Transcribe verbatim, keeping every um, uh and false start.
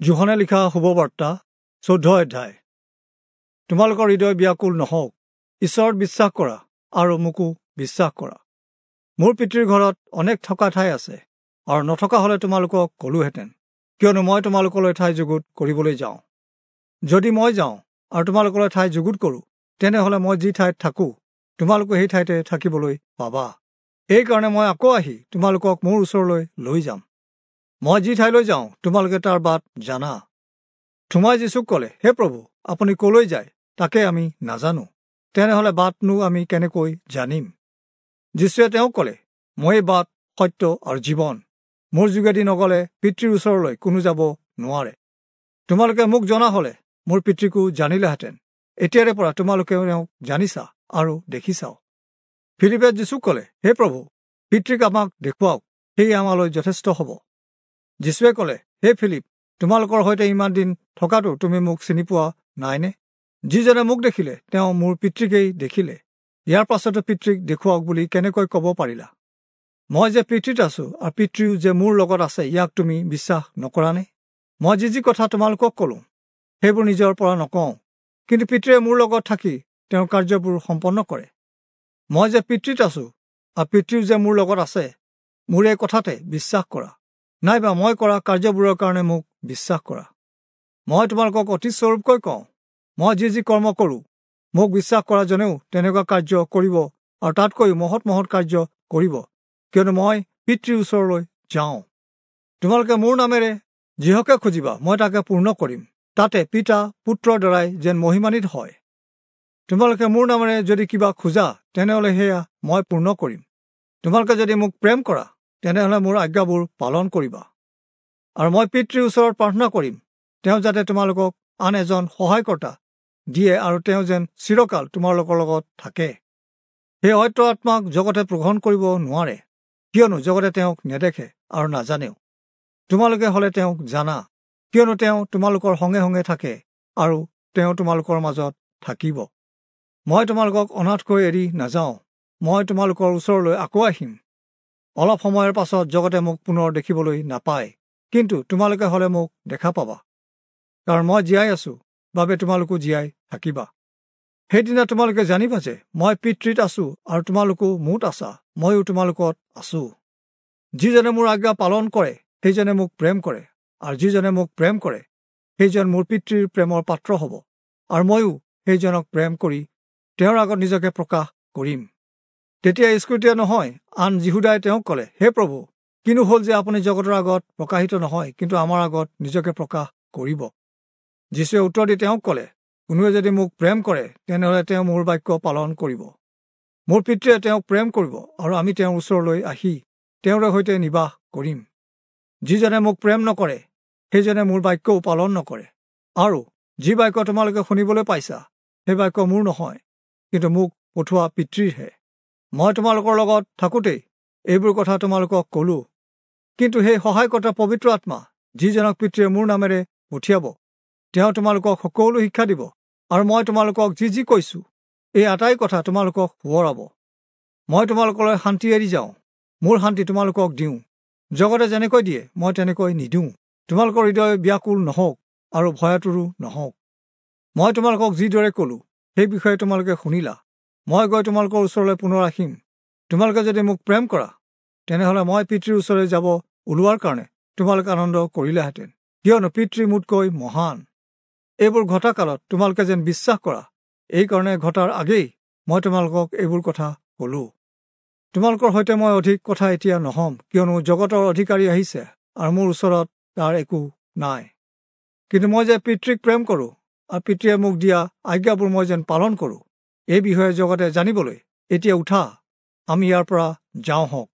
যোহনে লিখা শুভবাৰ্তা চৈধ্য অধ্যায়। তোমালোকৰ হৃদয় ব্যাকুল নহওক, ঈশ্বৰত বিশ্বাস কৰা আৰু মোকো বিশ্বাস কৰা। মোৰ পিতৃৰ ঘৰত অনেক থকা ঠাই আছে, আৰু নথকা হ'লে তোমালোকক ক'লোহেঁতেন, কিয়নো মই তোমালোকলৈ ঠাই যুগুত কৰিবলৈ যাওঁ। যদি মই যাওঁ আৰু তোমালোকলৈ ঠাই যুগুত কৰোঁ, তেনেহ'লে মই যি ঠাইত থাকোঁ তোমালোকো সেই ঠাইতে থাকিবলৈ পাবা। এইকাৰণে মই আকৌ আহি তোমালোকক মোৰ ওচৰলৈ লৈ যাম। মই যি ঠাইলৈ যাওঁ তোমালোকে তাৰ বাট জানা। থোমাই যীচুক ক'লে, হে প্ৰভু, আপুনি ক'লৈ যায় তাকে আমি নাজানো, তেনেহ'লে বাটনো আমি কেনেকৈ জানিম? যীচুৱে তেওঁক ক'লে, ময়েই বাট, সত্য আৰু জীৱন। মোৰ যোগেদি নগ'লে পিতৃৰ ওচৰলৈ কোনো যাব নোৱাৰে। তোমালোকে মোক জনা হ'লে মোৰ পিতৃকো জানিলাহেঁতেন। এতিয়াৰে পৰা তোমালোকে তেওঁক জানিছা আৰু দেখিছাও। ফিলিপে যীচুক ক'লে, হে প্ৰভু, পিতৃক আমাক দেখুৱাওক, সেয়ে আমালৈ যথেষ্ট হ'ব। যীচুৱে ক'লে, হে ফিলিপ, তোমালোকৰ সৈতে ইমান দিন থকাটো তুমি মোক চিনি পোৱা নাইনে? যিজনে মোক দেখিলে তেওঁ মোৰ পিতৃকেই দেখিলে। ইয়াৰ পাছতো পিতৃক দেখুৱাওক বুলি কেনেকৈ ক'ব পাৰিলা? মই যে পিতৃত আছো আৰু পিতৃও যে মোৰ লগত আছে, ইয়াক তুমি বিশ্বাস নকৰানে? মই যি যি কথা তোমালোকক ক'লো সেইবোৰ নিজৰ পৰা নকওঁ, কিন্তু পিতৃয়ে মোৰ লগত থাকি তেওঁৰ কাৰ্যবোৰ সম্পন্ন কৰে। মই যে পিতৃত আছো আৰু পিতৃও যে মোৰ লগত আছে, মোৰ এই কথাতে বিশ্বাস কৰা, নাইবা মই কৰা কাৰ্যবোৰৰ কাৰণে মোক বিশ্বাস কৰা। মই তোমালোকক অতি স্বৰূপকৈ কওঁ, মই যি যি কৰ্ম কৰোঁ মোক বিশ্বাস কৰাজনেও তেনেকুৱা কাৰ্য কৰিব, আৰু তাতকৈও মহৎ মহৎ কাৰ্য কৰিব, কিয়নো মই পিতৃৰ ওচৰলৈ যাওঁ। তোমালোকে মোৰ নামেৰে যিহকে খুজিবা মই তাকে পূৰ্ণ কৰিম, তাতে পিতা পুত্ৰৰ দ্বাৰাই যেন মহিমান্বিত হয়। তোমালোকে মোৰ নামেৰে যদি কিবা খোজা, তেনেহ'লে সেয়া মই পূৰ্ণ কৰিম। তোমালোকে যদি মোক প্ৰেম কৰা, তেনেহ'লে মোৰ আজ্ঞাবোৰ পালন কৰিবা। আৰু মই পিতৃৰ ওচৰত প্ৰাৰ্থনা কৰিম, তেওঁ যাতে তোমালোকক আন এজন সহায়কৰ্তা দিয়ে, আৰু তেওঁ যেন চিৰকাল তোমালোকৰ লগত থাকে। সেই সত্য আত্মাক জগতে গ্ৰহণ কৰিব নোৱাৰে, কিয়নো জগতে তেওঁক নেদেখে আৰু নাজানেও। তোমালোকে হ'লে তেওঁক জানা, কিয়নো তেওঁ তোমালোকৰ সঙ্গে সঙ্গে থাকে আৰু তেওঁ তোমালোকৰ মাজত থাকিব। মই তোমালোকক অনাথকৈ এৰি নাযাওঁ, মই তোমালোকৰ ওচৰলৈ আকৌ আহিম। অলপ সময়ৰ পাছত জগতে মোক পুনৰ দেখিবলৈ নাপায়, কিন্তু তোমালোকে হ'লে মোক দেখা পাবা, কাৰণ মই জীয়াই আছো বাবে তোমালোকো জীয়াই থাকিবা। সেইদিনা তোমালোকে জানিবা যে মই পিতৃত আছো আৰু তোমালোকো মোত আছা, ময়ো তোমালোকত আছো। যিজনে মোৰ আজ্ঞা পালন কৰে সেইজনে মোক প্ৰেম কৰে, আৰু যিজনে মোক প্ৰেম কৰে সেইজন মোৰ পিতৃৰ প্ৰেমৰ পাত্ৰ হ'ব, আৰু ময়ো সেইজনক প্ৰেম কৰি তেওঁৰ আগত নিজকে প্ৰকাশ কৰিম। তেতিয়া ইস্কৰিয়োতীয়া নহয় আন যিহূদাই তেওঁক ক'লে, হে প্ৰভু, কিনো হ'ল যে আপুনি জগতৰ আগত প্ৰকাশিত নহয়, কিন্তু আমাৰ আগত নিজকে প্ৰকাশ কৰিব? যীচুৱে উত্তৰ দি তেওঁক ক'লে, কোনোৱে যদি মোক প্ৰেম কৰে তেনেহ'লে তেওঁ মোৰ বাক্য পালন কৰিব। মোৰ পিতৃয়ে তেওঁক প্ৰেম কৰিব, আৰু আমি তেওঁৰ ওচৰলৈ আহি তেওঁৰে সৈতে নিবাস কৰিম। যিজনে মোক প্ৰেম নকৰে সেইজনে মোৰ বাক্যও পালন নকৰে, আৰু যি বাক্য তোমালোকে শুনিবলৈ পাইছা সেই বাক্য মোৰ নহয়, কিন্তু মোক পঠোৱা পিতৃৰহে। মই তোমালোকৰ লগত থাকোঁতেই এইবোৰ কথা তোমালোকক ক'লো, কিন্তু সেই সহায়কৰ্তা পবিত্ৰ আত্মা, যিজনক পিতৃয়ে মোৰ নামেৰে পঠিয়াব, তেওঁ তোমালোকক সকলো শিক্ষা দিব, আৰু মই তোমালোকক যি যি কৈছোঁ এই আটাই কথা তোমালোকক সোঁৱৰাব। মই তোমালোকলৈ শান্তি এৰি যাওঁ, মোৰ শান্তি তোমালোকক দিওঁ। জগতে যেনেকৈ দিয়ে মই তেনেকৈ নিদিওঁ। তোমালোকৰ হৃদয় ব্যাকুল নহওক আৰু ভয়াতুৰো নহওক। মই তোমালোকক যিদৰে ক'লোঁ সেই বিষয়ে তোমালোকে শুনিলা। মই গৈ তোমালোকৰ ওচৰলৈ পুনৰ আহিম। তোমালোকে যদি মোক প্ৰেম কৰা, তেনেহ'লে মই পিতৃৰ ওচৰলৈ যাব ওলোৱাৰ কাৰণে তোমালোকে আনন্দ কৰিলাহেঁতেন, কিয়নো পিতৃ মোতকৈ মহান। এইবোৰ ঘটা কালত তোমালোকে যেন বিশ্বাস কৰা, এইকাৰণে ঘটাৰ আগেই মই তোমালোকক এইবোৰ কথা ক'লোঁ। তোমালোকৰ সৈতে মই অধিক কথা এতিয়া নহ'ম, কিয়নো জগতৰ অধিকাৰী আহিছে আৰু মোৰ ওচৰত তাৰ একো নাই। কিন্তু মই যে পিতৃক প্ৰেম কৰোঁ আৰু পিতৃয়ে মোক দিয়া আজ্ঞাবোৰ মই যেন পালন কৰোঁ, এই বিষয়ে জগতে জানিবলৈ এতিয়া উঠা, আমি ইয়াৰ পৰা যাওঁ হওক।